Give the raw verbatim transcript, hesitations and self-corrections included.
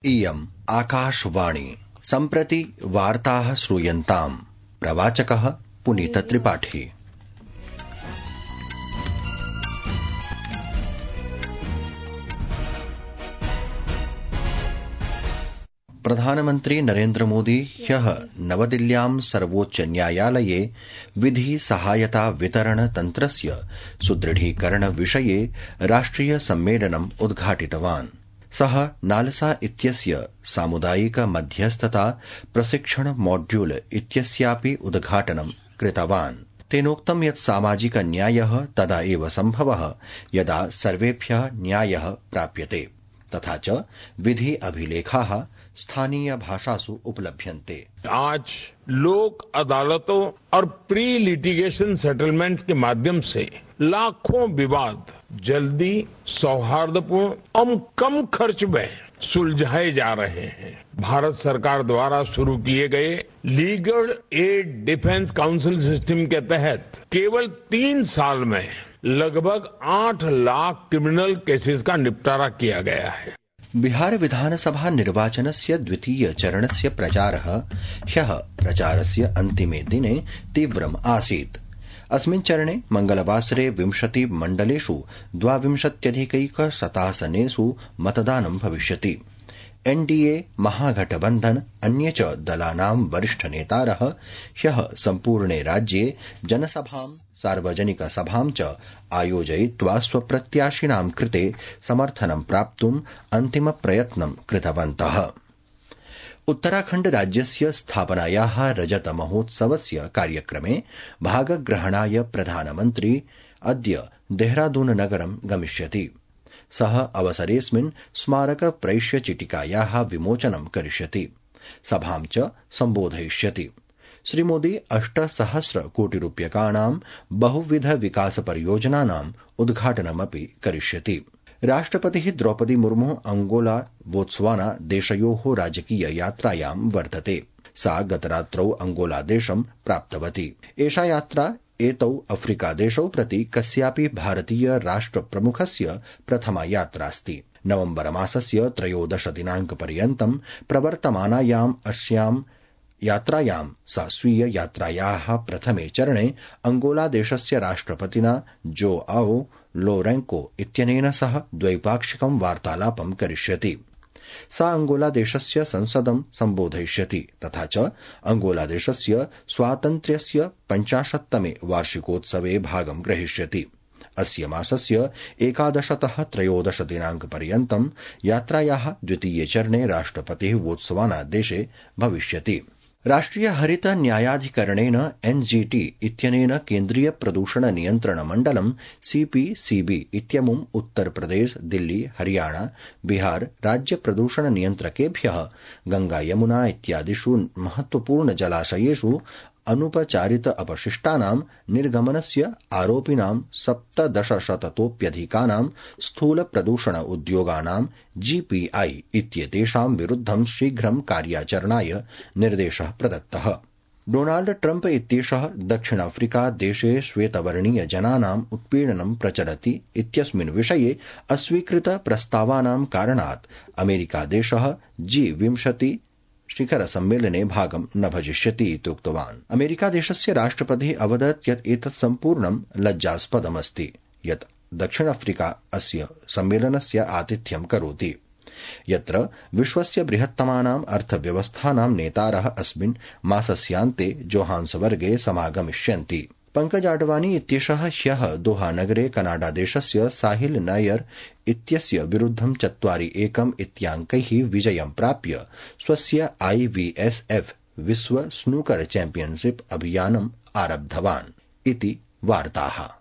इयम् आकाशवाणी सम्प्रति वार्ताः श्रूयन्ताम्। प्रवाचकः पुनीतत्रिपाठी। प्रधानमन्त्री नरेन्द्र मोदी ह्यः नवदिल्ल्यां सर्वोच्च न्यायालये विधि सहायता वितरण तन्त्रस्य सुदृढीकरण विषये राष्ट्रिय सम्मेलनम् उद्घाटितवान्। सः नालसा इत्यस्य सामुदायिक मध्यस्थता प्रशिक्षण मॉड्यूल इत्यस्यापि उद्घाटनं कृतवान्। तेनोक्तं यत् सामाजिक न्यायः तदा एव सम्भवः यदा सर्वेभ्यः न्यायः प्राप्यते तथा च विधि अभिलेखाः स्थानीय भाषासु उपलभ्यन्ते। आज लोक अदालतों और प्री लिटिगेशन सेटलमेंट के माध्यम से लाखों विवाद जल्दी, सौहार्दपूर्ण और कम खर्च में सुलझाए जा रहे हैं। भारत सरकार द्वारा शुरू किए गए legal aid defence council system के तहत केवल तीन साल में लगभग आठ लाख क्रिमिनल केसेस का निपटारा किया गया है। बिहार विधानसभा निर्वाचनस्य द्वितीय चरणस्य प्रचारः ह्यः प्रचारस्य अन्तिमे दिने तीव्रम् आसीत्। अस्मिन् चरणे मंगलवासरे विंशति मण्डलेषु द्वाविंशत्यधिकैकशतासनेषु मतदानं भविष्यति। एनडीए महागठबन्धन अन्ये च दलानां वरिष्ठ नेतारः ह्यः सम्पूर्णे राज्ये जनसभां सार्वजनिक सभां च आयोजयित्वा स्वप्रत्याशिनां कृते समर्थनं प्राप्तुम् अन्तिम प्रयत्नं कृतवन्तः। उत्तराखण्ड राज्यस्य स्थापनायाः रजत महोत्सवस्य कार्यक्रमे भागग्रहणाय प्रधानमन्त्री अद्य देहरादून नगरं गमिष्यति। सः अवसरेऽस्मिन् स्मारक प्रैष्य चिटिकायाः विमोचनं करिष्यति, सभां च सम्बोधयिष्यति। श्रीमोदी अष्टसहस्र कोटि रूप्यकाणां बहुविध विकास परियोजनानाम् उद्घाटनमपि करिष्यति। राष्ट्रपतिः द्रौपदी मुर्मु अंगोला बोत्स्वाना देशयोः राजकीय यात्रायां वर्तते। सा गतरात्रौ अंगोला देशं प्राप्तवती। एषा यात्रा एतौ अफ्रीका देशौ प्रति कस्यापि भारतीय राष्ट्र प्रमुखस्य प्रथमा यात्रास्ति। नवम्बर मासस्य त्रयोदश दिनांक पर्यन्तं प्रवर्तमानायाम् अस्यां यात्रायां सा स्वीय यात्रायाः प्रथमे चरणे अंगोला देशस्य राष्ट्रपतिना जो आओ लोरेंको इत्यनेन सह द्वैपाक्षिकं वार्तालापं करिष्यति। सा अंगोला देशस्य संसदं सम्बोधयिष्यति तथा च अंगोला देशस्य स्वातन्त्र्यस्य पञ्चाशत्तमे वार्षिकोत्सवे भागं ग्रहीष्यति। अस्य मासस्य एकादशतः त्रयोदश दिनांक पर्यन्तं यात्रायाः द्वितीये चरणे राष्ट्रपतिः बोत्स्वाना देशे भविष्यति। राष्ट्रिय हरित न्यायाधिकरणेन एनजीटी इत्यनेन केन्द्रीय प्रदूषण नियन्त्रण मण्डलं सीपीसीबी इत्यमुम् उत्तर प्रदेश, दिल्ली, हरियाणा, बिहार राज्य प्रदूषण नियन्त्रकेभ्यः गंगा यमुना इत्यादिषु महत्वपूर्ण जलाशयेषु अनुपचारित अपशिष्टानां निर्गमनस्य आरोपिणां सप्तदशशततोप्यधिकानां स्थूल प्रदूषण उद्योगानां जीपीआई इत्येतेषां विरुद्धं शीघ्रं कार्याचरणाय निर्देशः प्रदत्तः। डोनाल्ड ट्रम्प इत्येषः दक्षिणाफ्रिका देशे श्वेतवर्णीय जनानाम् उत्पीडनं प्रचलति इत्यस्मिन् विषये अस्वीकृत प्रस्तावानां कारणात् अमेरिका देशः जी विंशति शिखर सम्मेलने भागं न भजिष्यति इति उक्तवान्। अमेरिका देशस्य राष्ट्रपतिः अवदत् यत् एतत् सम्पूर्णं लज्जास्पदमस्ति यत् दक्षिण अफ्रीका अस्य सम्मेलनस्य आतिथ्यं करोति, यत्र विश्वस्य बृहत्तमानाम् अर्थव्यवस्थानां नेतारः अस्मिन् मासस्यान्ते जोहान्सबर्गे समागमिष्यन्ति। पंकज आडवाणी इत्येषः ह्यः दोहा नगरे कनाडा देशस्य साहिल नायर इत्यस्य विरुद्धं चत्वारि एकम् इत्याङ्कैः विजयं प्राप्य स्वस्य आईवीएसएफ विश्व स्नूकर चैम्पियनशिप अभियानम् आरब्धवान् इति वार्ताः।